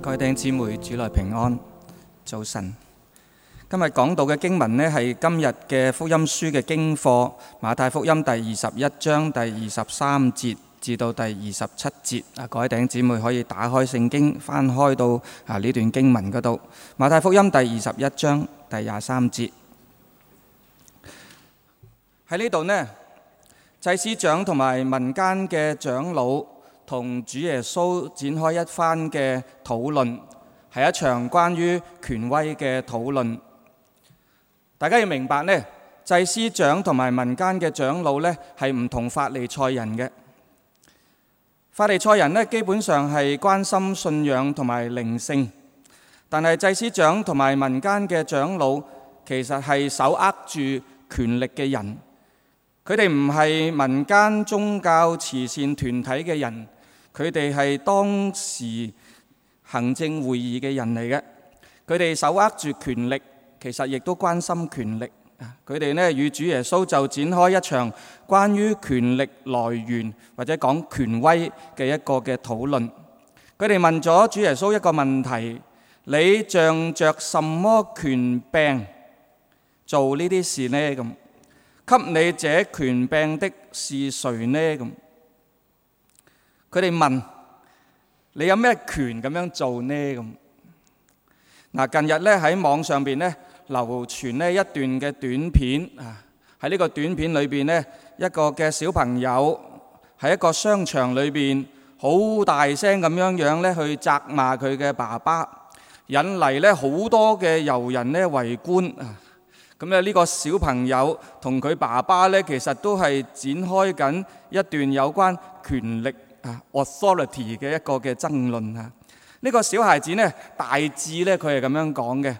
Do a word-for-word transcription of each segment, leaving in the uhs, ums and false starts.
各位弟兄姊妹，主內平安，早晨。今日講到嘅經文呢，係今日嘅福音書嘅經課，馬太福音第二十一章第二十三節至到第二十七節。啊，各位弟兄姊妹可以打開聖經，翻開到啊呢段經文嗰度。馬太福音第二十一章第廿三節。喺呢度呢，祭司長同埋民間嘅長老同主耶穌展開一番嘅討論，係一場關於權威嘅討論。大家要明白呢，祭司長同埋民間嘅長老呢，係唔同法利賽人嘅。法利賽人呢，基本上係關心信仰同埋靈性，但係祭司長同埋民間嘅長老其實係手握住權力嘅人。佢哋唔係民間宗教慈善團體嘅人，佢哋係當時行政會議嘅人嚟嘅。佢哋手握住權力，其實亦都關心權力。佢哋呢與主耶穌就展開一場關於權力來源或者講權威嘅一個嘅討論。佢哋問咗主耶穌一個問題：你仗着什麼權柄做呢啲事呢？咁給你這權柄的是誰呢？咁佢哋問你有咩權咁樣做呢？咁嗱，近日咧喺網上邊咧流傳呢一段嘅短片啊，喺呢個短片裏邊呢，一個嘅小朋友喺一個商場裏邊好大聲咁樣樣咧去責罵佢嘅爸爸，引嚟咧好多嘅遊人咧圍觀啊。咁咧呢個小朋友同佢爸爸咧其實都係展開緊一段有關權力啊 authority 嘅一個嘅爭論啊。呢個小孩子呢，大致咧佢係咁樣講嘅：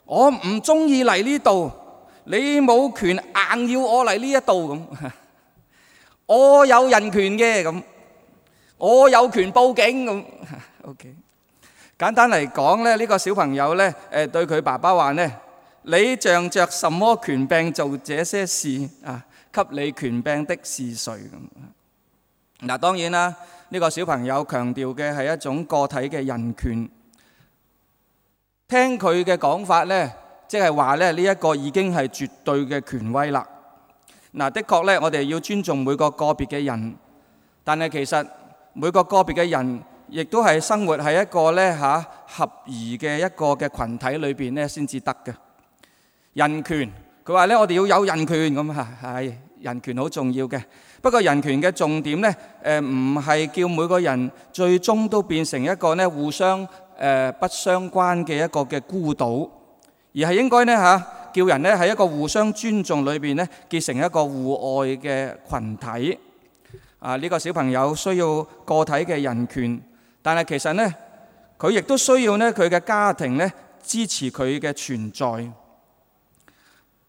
我唔中意嚟呢度，你冇權硬要我嚟呢一度咁。我有人權嘅咁，我有權報警咁。OK， 簡單嚟講咧，呢個小朋友咧誒對佢爸爸話呢：你仗着什麼權柄做這些事啊？給你權柄的是誰？咁嗱，當然啦，呢個小朋友強調嘅係一種個體嘅人權。聽佢嘅講法呢，即係話咧呢一個已經係絕對嘅權威啦。嗱，的確呢，我哋要尊重每個個別嘅人，但係其實每個個別嘅人亦都係生活喺一個咧嚇合宜嘅一個嘅羣體裏邊咧先至得嘅。人權，佢話咧我哋要有人權咁嚇，係人權好重要嘅。不過人權嘅重點咧，誒唔係叫每個人最終都變成一個咧互相誒不相關嘅一個嘅孤島，而係應該咧嚇叫人咧喺一個互相尊重裏邊咧結成一個互愛嘅羣體。啊，呢個小朋友需要個體嘅人權，但係其實咧佢亦都需要咧佢嘅家庭咧支持佢嘅存在。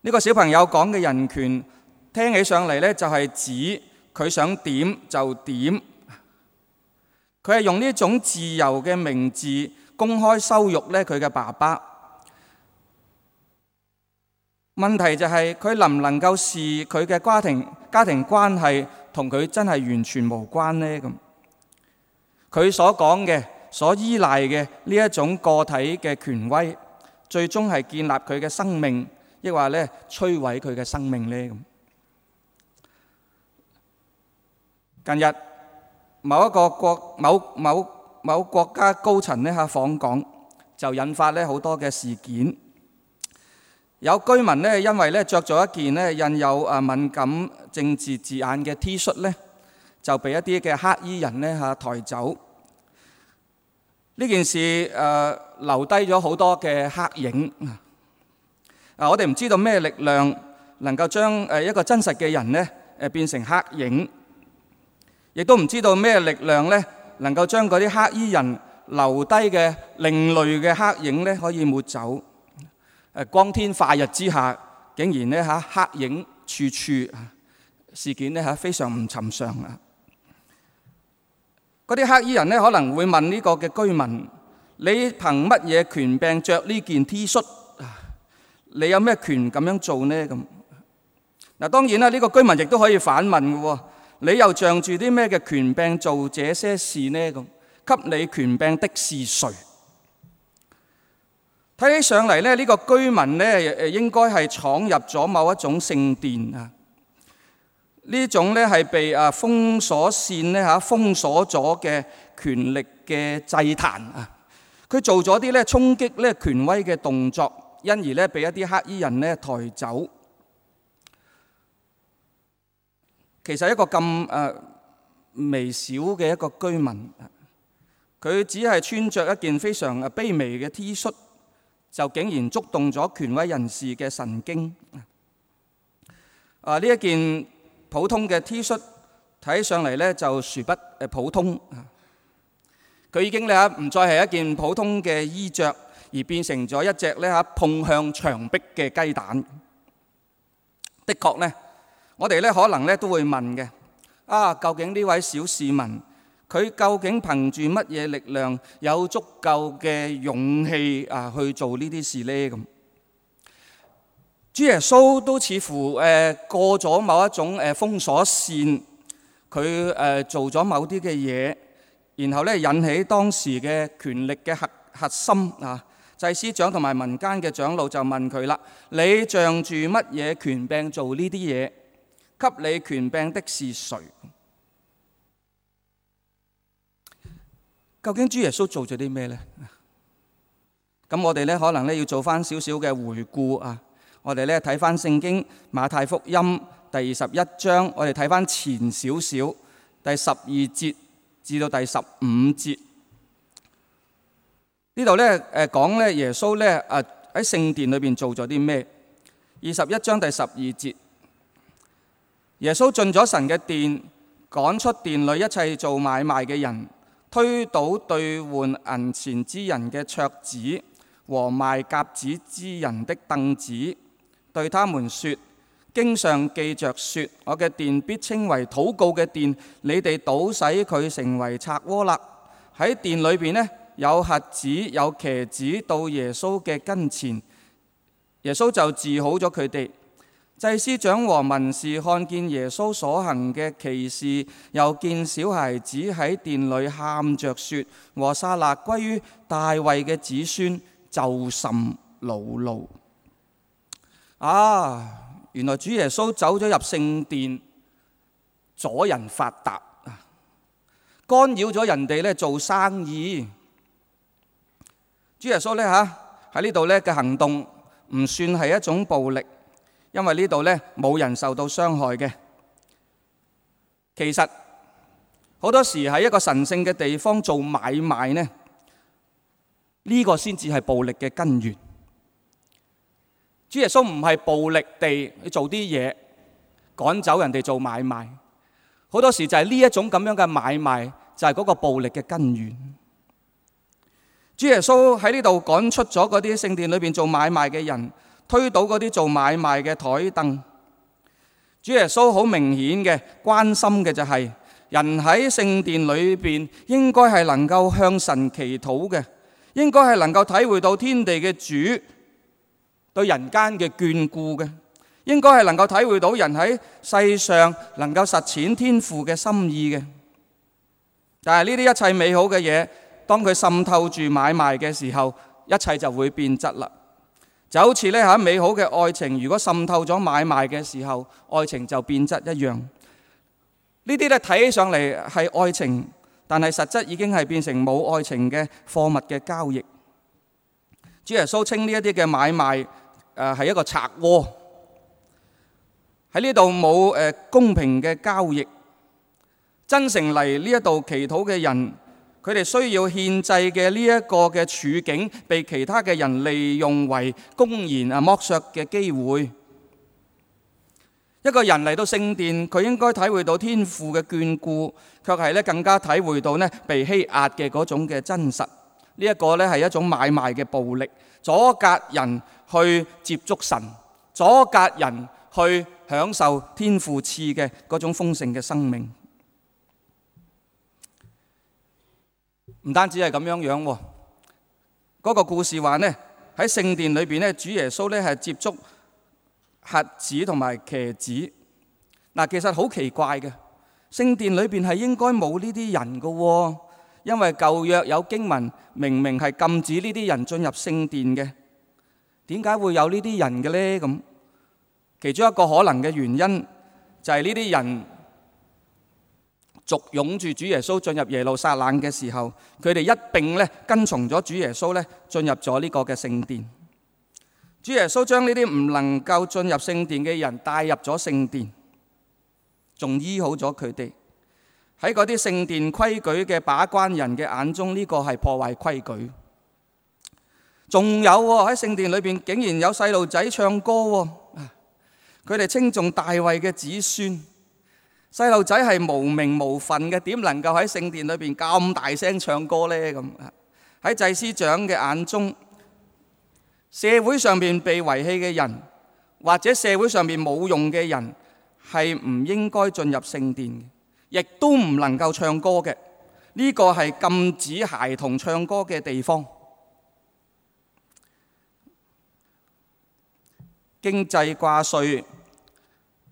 呢個小朋友講嘅人權聽起上嚟咧，就係指佢想點就點。佢係用呢種自由嘅名字公開羞辱咧佢嘅爸爸。問題就係佢能唔能夠視佢嘅家庭家庭關係同佢真係完全無關呢？咁佢所講嘅、所依賴嘅呢一種個體嘅權威，最終係建立佢嘅生命，抑或咧摧毀佢嘅生命呢？咁近日某一個國某某某國家高層咧嚇訪港，就引發咧好多嘅事件。有居民咧因為咧著咗一件咧印有啊敏感政治字眼嘅 T 恤咧，就被一啲嘅黑衣人咧嚇抬走。呢件事誒留低咗好多嘅黑影。啊！我哋唔知道咩力量能夠將誒一個真實嘅人咧誒變成黑影，亦都唔知道咩力量咧能夠將嗰啲黑衣人留低嘅另類嘅黑影咧可以抹走。誒光天化日之下，竟然咧嚇黑影處處，事件咧嚇非常唔尋常啊！嗰啲黑衣人咧可能會問呢個嘅居民：你憑乜嘢權柄著呢件 T 恤？你有咩權咁樣做呢？咁嗱，當然啦，呢個居民亦都可以反問嘅喎。你又仗住啲咩嘅權柄做這些事呢？咁給你權柄的是誰？睇起上嚟咧，呢個居民咧誒應該係闖入咗某一種聖殿啊。呢種咧係被啊封鎖線咧嚇封鎖咗嘅權力嘅祭壇啊。佢做咗啲咧衝擊咧權威嘅動作，因而咧被一啲黑衣人咧抬走。其實一個咁誒微小嘅一個居民，佢只係穿着一件非常卑微嘅 T 恤，就竟然觸動咗權威人士嘅神經。啊！呢一件普通嘅 T 恤睇上嚟咧就殊不誒普通。佢已經咧唔再係一件普通嘅衣着，而變成咗一隻咧嚇碰向牆壁嘅雞蛋。的確呢，我哋咧可能咧都會問嘅，啊，究竟呢位小市民佢究竟憑住乜嘢力量有足夠嘅勇氣啊去做呢啲事呢？咁主耶穌都似乎誒過咗某一種誒封鎖線，佢誒做咗某啲嘅嘢，然後咧引起當時嘅權力嘅核核心啊，祭司長同埋民間嘅長老就問佢啦：你仗住乜嘢權柄做呢啲嘢？給你權柄的是誰？究竟主耶穌做咗啲咩呢？咁我哋咧可能咧要做翻少少嘅回顧啊！我哋咧睇翻聖經馬太福音第二十一章，我哋睇翻前少少第十二節至到第十五節。呢度咧誒講咧耶穌咧誒喺聖殿裏邊做咗啲咩？二十一章第十二節。耶穌進咗神嘅殿，趕出殿裏一切做買賣嘅人，推倒兌換銀錢之人嘅桌子和賣鴿子之人的凳子，對他們說：經上記着說，我嘅殿必稱為禱告嘅殿，你哋倒使佢成為賊窩啦。喺殿裏邊呢，有瞎子有瘸子到耶穌嘅跟前，耶穌就治好咗佢哋。祭司長和文士看見耶穌所行嘅奇事，又見小孩子喺殿裏喊着說：和散那歸於大衛嘅子孫，就甚惱怒。啊！原來主耶穌走咗入聖殿，阻人發達，干擾咗人哋咧做生意。主耶穌咧嚇喺呢度咧嘅行動唔算係一種暴力。因為呢度咧冇人受到傷害嘅。其實好多時喺一個神聖嘅地方做買賣呢，呢個先至係暴力嘅根源。主耶穌唔係暴力地去做啲嘢趕走人哋做買賣，好多時就係呢一種咁樣嘅買賣就係嗰個暴力嘅根源。主耶穌喺呢度趕出咗嗰啲聖殿裏邊做買賣嘅人，推倒嗰啲做買賣嘅台凳。主耶穌好明顯嘅關心嘅就係人喺聖殿裏邊應該係能夠向神祈禱嘅，應該係能夠體會到天地嘅主對人間嘅眷顧嘅，應該係能夠體會到人喺世上能夠實踐天父嘅心意嘅。但係呢啲一切美好嘅嘢，當佢滲透住買賣嘅時候，一切就會變質啦。就好似咧嚇美好嘅愛情，如果滲透咗買賣嘅時候，愛情就變質一樣。呢啲咧睇起上嚟係愛情，但係實質已經係變成冇愛情嘅貨物嘅交易。主耶穌稱呢一啲嘅買賣誒係一個賊窩，喺呢度冇誒公平嘅交易。真誠嚟呢一度祈禱嘅人，佢哋需要獻祭嘅呢一個嘅處境，被其他嘅人利用為公然啊剝削嘅機會。一個人嚟到聖殿，佢應該體會到天父嘅眷顧，卻係咧更加體會到咧被欺壓嘅嗰種嘅真實。呢一個咧係一種買賣嘅暴力，阻隔人去接觸神，阻隔人去享受天父賜嘅嗰種豐盛嘅生命。唔單止係咁樣樣喎，嗰個故事話呢，喺聖殿裏邊咧，主耶穌咧係接觸瞎子同埋瘸子。嗱，其實好奇怪嘅，聖殿裏邊係應該冇呢啲人嘅喎，因為舊約有經文明明係禁止呢啲人進入聖殿嘅。點解會有呢啲人嘅呢？咁其中一個可能嘅原因就係呢啲人簇擁住主耶穌進入耶路撒冷嘅時候，佢哋一併咧跟從咗主耶穌咧進入咗呢個嘅聖殿。主耶穌將呢啲唔能夠進入聖殿嘅人帶入咗聖殿，仲醫好咗佢哋。喺嗰啲聖殿規矩嘅把關人嘅眼中，呢個係破壞規矩。仲有喎，喺聖殿裏邊竟然有細路仔唱歌喎，佢哋稱頌大衛嘅子孫。細路仔係無名無份嘅，點能夠喺聖殿裏邊咁大聲唱歌呢？咁喺祭司長嘅眼中，社會上面被遺棄嘅人，或者社會上面冇用嘅人，係唔應該進入聖殿嘅，亦都唔能夠唱歌嘅。呢個係禁止孩童唱歌嘅地方。經濟掛帥，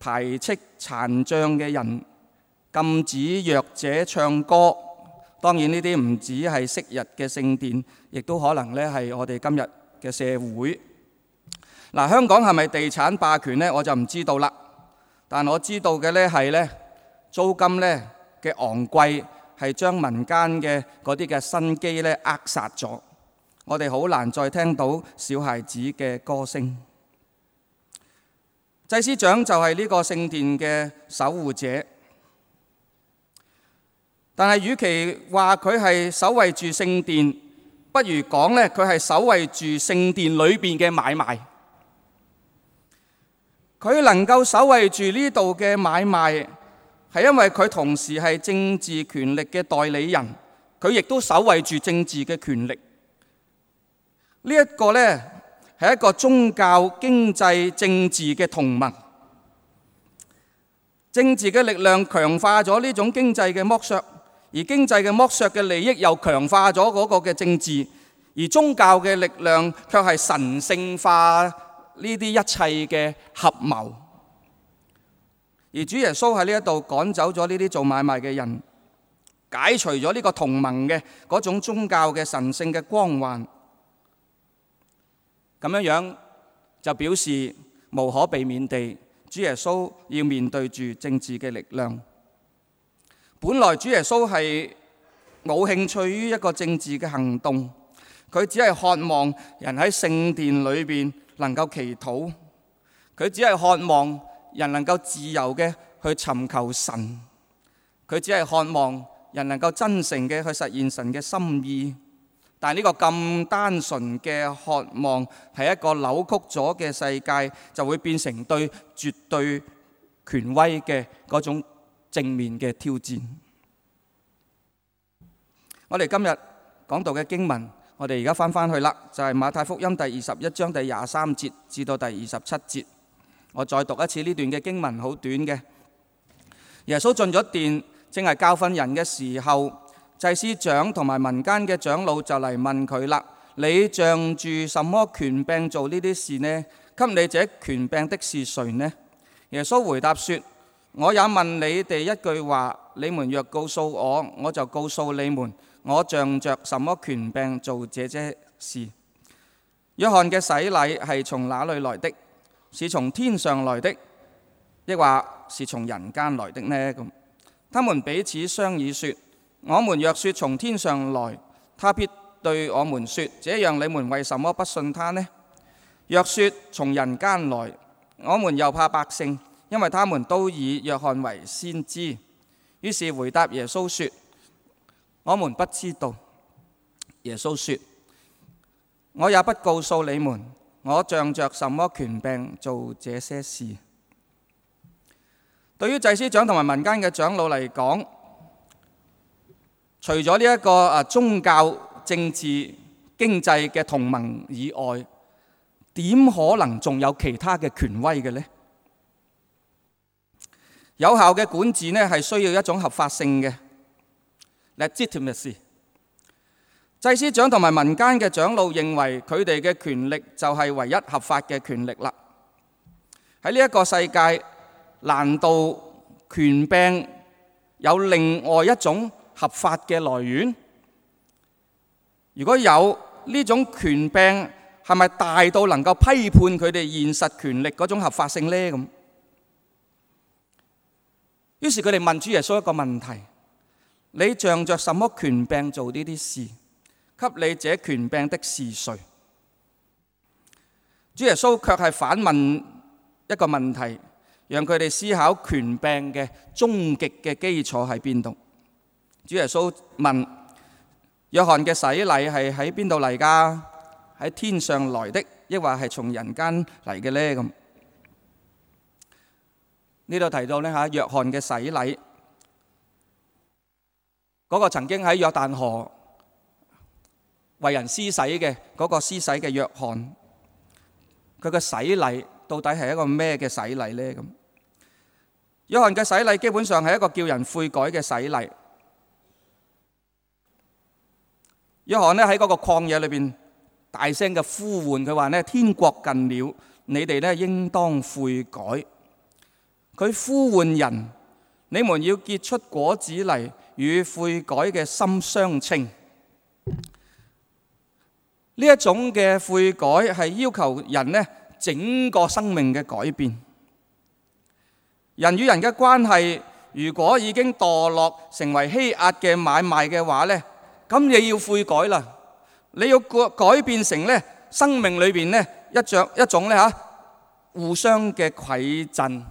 排斥殘障嘅人，禁止弱者唱歌。當然呢啲唔止係昔日嘅聖殿，亦都可能咧係我哋今日嘅社會。嗱，香港係咪地產霸權呢？我就唔知道啦。但我知道嘅咧係咧租金咧嘅昂貴，係將民間嘅嗰啲嘅生機咧扼殺咗。我哋好難再聽到小孩子嘅歌聲。祭司長就係呢個聖殿嘅守護者，但係與其話佢係守衛住聖殿，不如講咧佢係守衛住聖殿裏邊嘅買賣。佢能夠守衛住呢度嘅買賣，係因為佢同時係政治權力嘅代理人，佢亦都守衛住政治嘅權力。呢一個呢，係一個宗教、經濟、政治嘅同盟。政治嘅力量強化咗呢種經濟嘅剝削，而經濟嘅剝削嘅利益又強化咗嗰個嘅政治，而宗教嘅力量卻係神聖化呢啲一切嘅合謀。而主耶穌喺呢一度趕走咗呢啲做買賣嘅人，解除咗呢個同盟嘅嗰種宗教嘅神聖嘅光環。咁樣樣就表示無可避免地，主耶穌要面對住政治嘅力量。本來主耶穌係冇興趣於一個政治嘅行動，佢只係渴望人喺聖殿裏邊能夠祈禱，佢只係渴望人能夠自由嘅去尋求神，佢只係渴望人能夠真誠嘅去實現神嘅心意。但係呢個咁單純嘅渴望，係一個扭曲咗嘅世界，就會變成對絕對權威嘅嗰種正面嘅挑戰。我哋今日講到嘅經文，我哋而家翻翻去啦，就係馬太福音第二十一章第廿三節至到第二十七節。我再讀一次呢段嘅經文，好短嘅。耶穌進咗殿，正係教訓人嘅時候，祭司長同埋民間嘅長老就嚟問佢啦：你仗住什麼權柄做呢啲事呢？給你這權柄的是誰呢？耶穌回答說：我也問你哋一句話，你們若告訴我，我就告訴你們，我仗着什麼權柄做這些事。約翰嘅洗禮係從哪裏來的？是從天上來的，抑或是從人間來的呢？咁，他們彼此商議說：我們若說從天上來，他必對我們說：這樣你們為什麼不信他呢？若說從人間來，我們又怕百姓，因為他們都以約翰為先知。於是回答耶穌說：我們不知道。耶穌說：我也不告訴你們，我仗着什麼權柄做這些事。對於祭司長同埋民間嘅長老嚟講，除咗呢一個啊宗教、政治、經濟嘅同盟以外，點可能仲有其他嘅權威嘅呢？有效嘅管治呢係需要一種合法性嘅 legitimacy。祭司長同埋民間嘅長老認為佢哋嘅權力就係唯一合法嘅權力啦。喺呢一個世界，難道權柄有另外一種合法嘅來源？如果有呢種權柄係係咪大到能夠批判佢哋現實權力嗰種合法性呢？咁，於是佢哋問主耶穌一個問題：你仗着什麼權柄做呢啲事？給你這權柄的是誰？主耶穌卻係反問一個問題，讓佢哋思考權柄嘅終極嘅基礎喺邊度。主耶穌問：約翰嘅洗禮係喺邊度嚟㗎？喺天上來的，抑或係從人間嚟嘅呢？咁呢度提到呢嚇，約翰嘅洗禮嗰個曾經喺約旦河為人施洗嘅嗰個施洗嘅約翰，佢嘅洗禮到底係一個咩嘅洗禮呢？咁約翰嘅洗禮基本上係一個叫人悔改嘅洗禮。約翰呢喺嗰個曠野裏邊大聲嘅呼喚，佢話呢，天國近了，你哋呢應當悔改。佢呼喚人，你們要結出果子嚟，與悔改嘅心相稱。呢一種嘅悔改係要求人呢整個生命嘅改變。人與人嘅關係如果已經墮落成為欺壓嘅買賣嘅話呢，咁你要悔改啦，你要改變成呢生命裏邊呢一種一種呢吓互相嘅饋贈。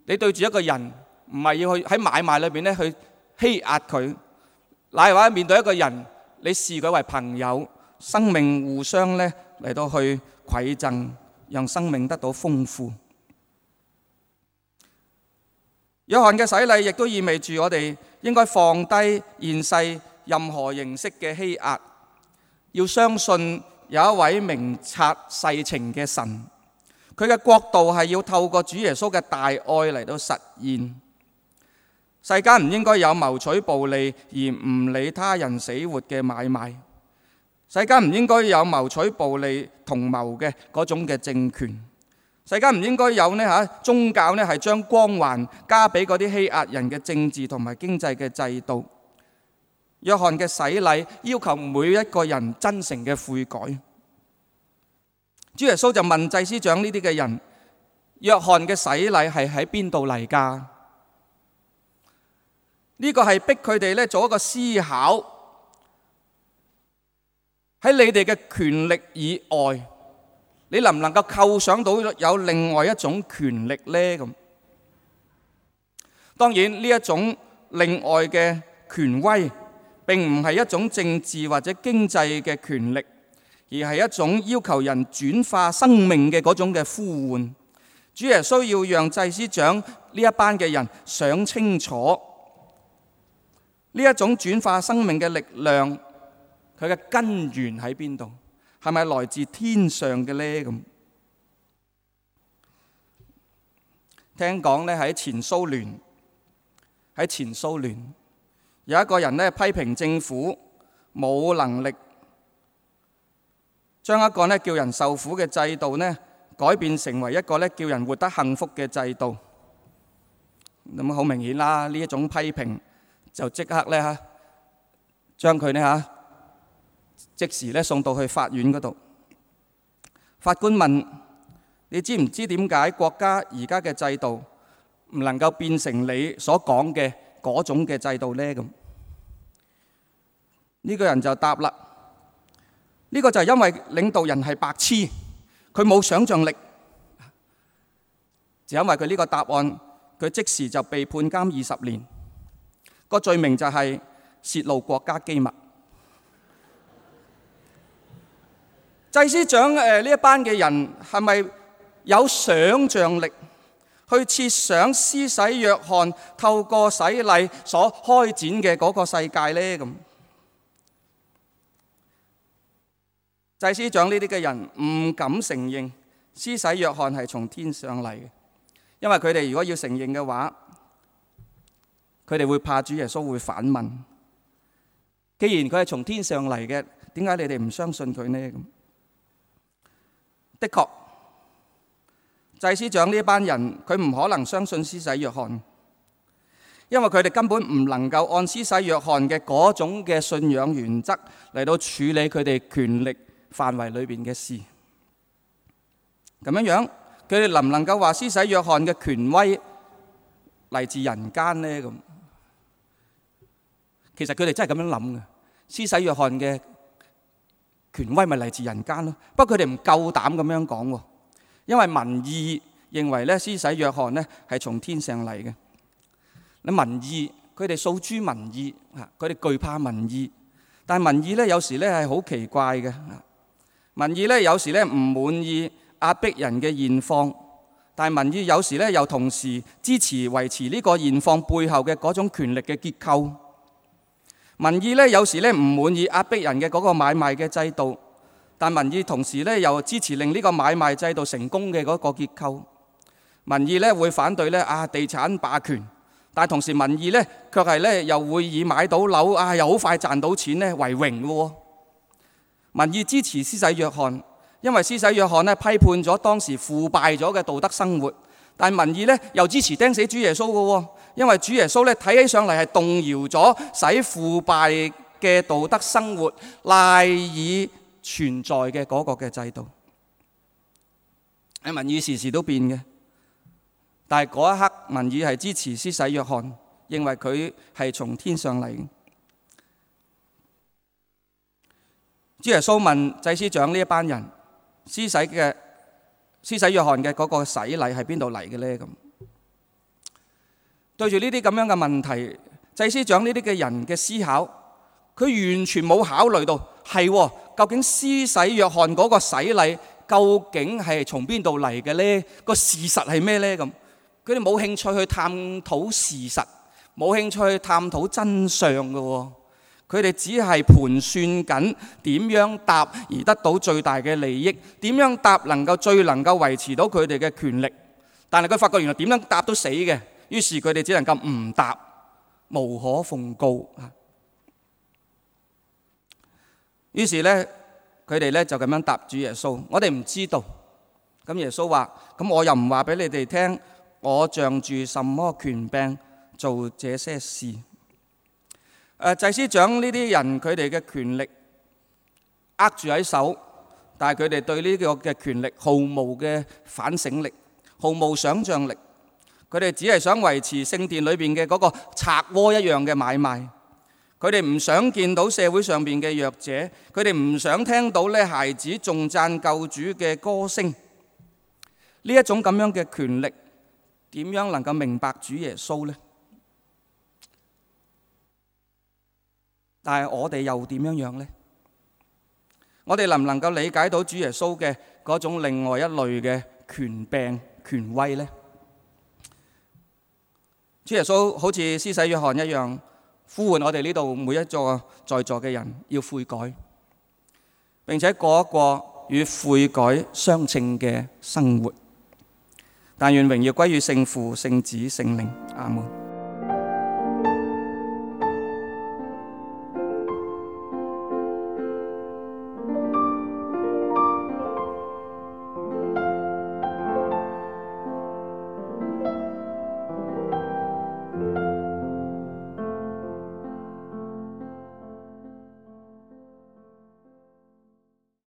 你對住一個人唔係要去喺買賣裏邊呢去欺壓佢，乃或者面對一個人，你視佢為朋友，生命互相咧嚟到去饋贈，讓生命得到豐富。約翰嘅洗禮亦都意味住我哋應該放低現世任何形式嘅欺壓，要相信有一位明察世情嘅神，佢嘅國度係要透過主耶穌嘅大愛嚟到實現。世間唔應該有謀取暴利而唔理他人死活嘅買賣，世間唔應該有謀取暴利同謀嘅嗰種嘅政權，世間唔應該有呢嚇宗教呢係將光環加俾嗰啲欺壓人嘅政治同埋經濟嘅制度。約翰嘅洗禮要求每一個人真誠嘅悔改。主耶穌就問祭司長呢啲嘅人：約翰嘅洗禮係喺邊度嚟㗎？呢個係逼佢哋咧做一個思考，喺你哋嘅權力以外，你能唔能夠構想到有另外一種權力呢？咁當然呢一種另外嘅權威並唔係一種政治或者經濟嘅權力，而係一種要求人轉化生命嘅嗰種嘅呼喚。主耶穌要讓祭司長呢一班嘅人想清楚呢一種轉化生命嘅力量，佢嘅根源喺邊度？係咪來自天上嘅呢？咁聽講咧喺前蘇聯，喺前蘇聯有一個人咧批評政府冇能力將一個咧叫人受苦嘅制度咧改變成為一個咧叫人活得幸福嘅制度。咁好明顯啦，呢一種批評就即刻咧嚇將佢咧嚇即時咧送到去法院嗰度。法官問：你知唔知點解國家而家嘅制度唔能夠變成你所講嘅嗰種嘅制度呢？咁呢個人就答啦：呢個就係因為領導人係白痴，佢冇想像力。就因為佢呢個答案，佢即時就被判監二十年。個罪名就係泄露國家機密。祭司長誒呢一班嘅人係咪有想像力去設想施洗約翰透過洗禮所開展嘅嗰個世界呢？咁祭司長呢啲嘅人唔敢承認施洗約翰係從天上嚟嘅，因為佢哋如果要承認嘅話，佢哋會怕主耶穌會反問：既然佢係從天上嚟嘅，點解你哋唔相信佢呢？咁的確，祭司長呢班人佢唔可能相信施洗約翰，因為佢哋根本唔能夠按施洗約翰嘅嗰種嘅信仰原則嚟到處理佢哋權力範圍裏邊嘅事。咁樣樣，佢哋能唔能夠話施洗約翰嘅權威嚟自人間呢？咁其實佢哋真係咁樣諗嘅。施洗約翰嘅權威咪嚟自人間咯。不過佢哋唔夠膽咁樣講喎，因為民意認為咧施洗約翰咧係從天上嚟嘅。你民意，佢哋訴諸民意嚇，佢哋懼怕民意。但係民意咧有時咧係好奇怪嘅。民意咧有時咧唔滿意壓迫人嘅現況，但係民意有時咧又同時支持維持呢個現況背後嘅嗰種權力嘅結構。民意咧有時咧唔滿意壓迫人嘅嗰個買賣嘅制度，但民意同時咧又支持令呢個買賣制度成功嘅嗰個結構。民意咧會反對咧啊地產霸權，但係同時民意咧卻係咧又會以買到樓啊又好快賺到錢咧為榮嘅喎。民意支持施洗約翰，因為施洗約翰咧批判咗當時腐敗咗嘅道德生活，但係民意咧又支持釘死主耶穌嘅喎，因為主耶穌咧睇起上嚟係動搖咗使腐敗嘅道德生活賴以存在嘅嗰個嘅制度。民意時時都變嘅，但係嗰一刻民意係支持施洗約翰，認為佢係從天上嚟嘅。主耶穌問祭司長呢一班人，施洗嘅施洗約翰嘅嗰個洗禮係邊度嚟嘅呢？咁對住呢啲咁樣嘅問題，祭司長呢啲嘅人嘅思考，佢完全冇考慮到係究竟施洗約翰嗰個洗禮究竟係從邊度嚟嘅呢？個事實係咩呢？咁佢哋冇興趣去探討事實，冇興趣去探討真相嘅。佢哋只係盤算緊點樣答而得到最大嘅利益，點樣答能夠最能夠維持到佢哋嘅權力。但係佢發覺原來點樣答都死嘅，於是佢哋只能夠唔答，無可奉告。於是咧，佢哋咧就咁樣答主耶穌：我哋唔知道。咁耶穌話：咁我又唔話俾你哋聽，我仗住什麼權柄做這些事？誒祭司長呢啲人，佢哋嘅權力握住喺手，但係佢哋對呢個嘅權力毫無嘅反省力，毫無想像力。佢哋只係想維持聖殿裏邊嘅嗰個賊窩一樣嘅買賣。佢哋唔想見到社會上邊嘅弱者，佢哋唔想聽到咧孩子頌讚救主嘅歌聲。呢一種咁樣嘅權力，點樣能夠明白主耶穌呢？但係我哋又點樣樣呢？我哋能唔能夠理解到主耶穌嘅嗰種另外一類嘅權柄、權威呢？主耶穌好似施洗約翰一樣，呼喚我哋呢度每一座在座嘅人要悔改，並且過一個與悔改相稱嘅生活。但願榮耀歸於聖父、聖子、聖靈。阿門。